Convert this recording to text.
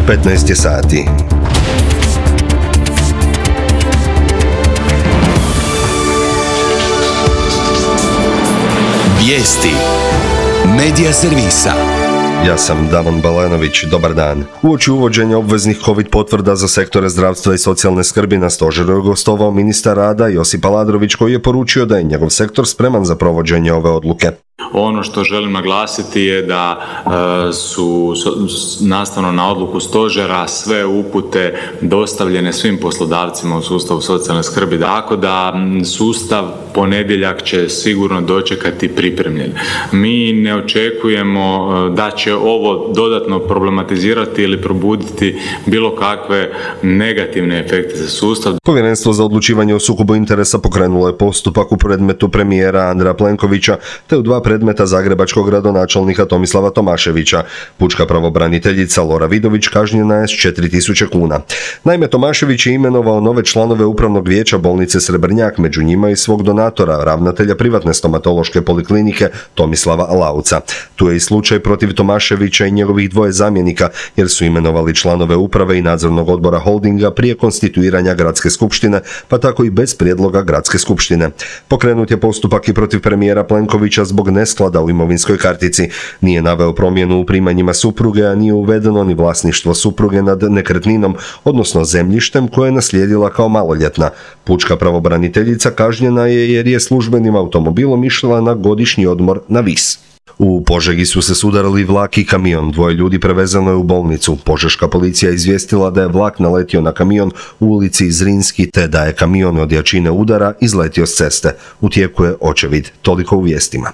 15 je sati. Vijesti Medija servisa. Ja sam Davon Balanović, dobar dan. Uoči uvođenja obveznih COVID potvrda za sektore zdravstva i socijalne skrbi na stožeru je gostovao ministar rada Josip Aladrović, koji je poručio da je njegov sektor spreman za provođenje ove odluke. Ono što želim naglasiti je da su nastavno na odluku stožera sve upute dostavljene svim poslodavcima u sustavu socijalne skrbi, tako da sustav ponedjeljak će sigurno dočekati pripremljen. Mi ne očekujemo da će ovo dodatno problematizirati ili probuditi bilo kakve negativne efekte za sustav. Povjerenstvo za odlučivanje o sukobu interesa pokrenulo je postupak u predmetu premijera Andreja Plenkovića te u dva predmeta zagrebačkog gradonačelnika Tomislava Tomaševića. Pučka pravobraniteljica Lora Vidović kažnjena je s 4.000 kuna. Naime, Tomašević je imenovao nove članove upravnog vijeća bolnice Srebrnjak, među njima i svog donatora, ravnatelja privatne stomatološke poliklinike Tomislava Lauca. Tu je i slučaj protiv Tomaševića i njegovih dvoje zamjenika, jer su imenovali članove uprave i nadzornog odbora holdinga prije konstituiranja gradske skupštine, pa tako i bez prijedloga gradske skupštine. Pokrenut je postupak i protiv premijera Plenkovića zbog nesklada u imovinskoj kartici. Nije naveo promjenu u primanjima supruge, a nije uvedeno ni vlasništvo supruge nad nekretninom, odnosno zemljištem koje je naslijedila kao maloljetna. Pučka pravobraniteljica kažnjena je jer je službenim automobilom išla na godišnji odmor na Vis. U Požegi su se sudarili vlak i kamion, dvoje ljudi prevezano je u bolnicu. Požeška policija izvijestila da je vlak naletio na kamion u ulici Zrinski te da je kamion od jačine udara izletio s ceste. U tijeku je očevid. Toliko u vijestima.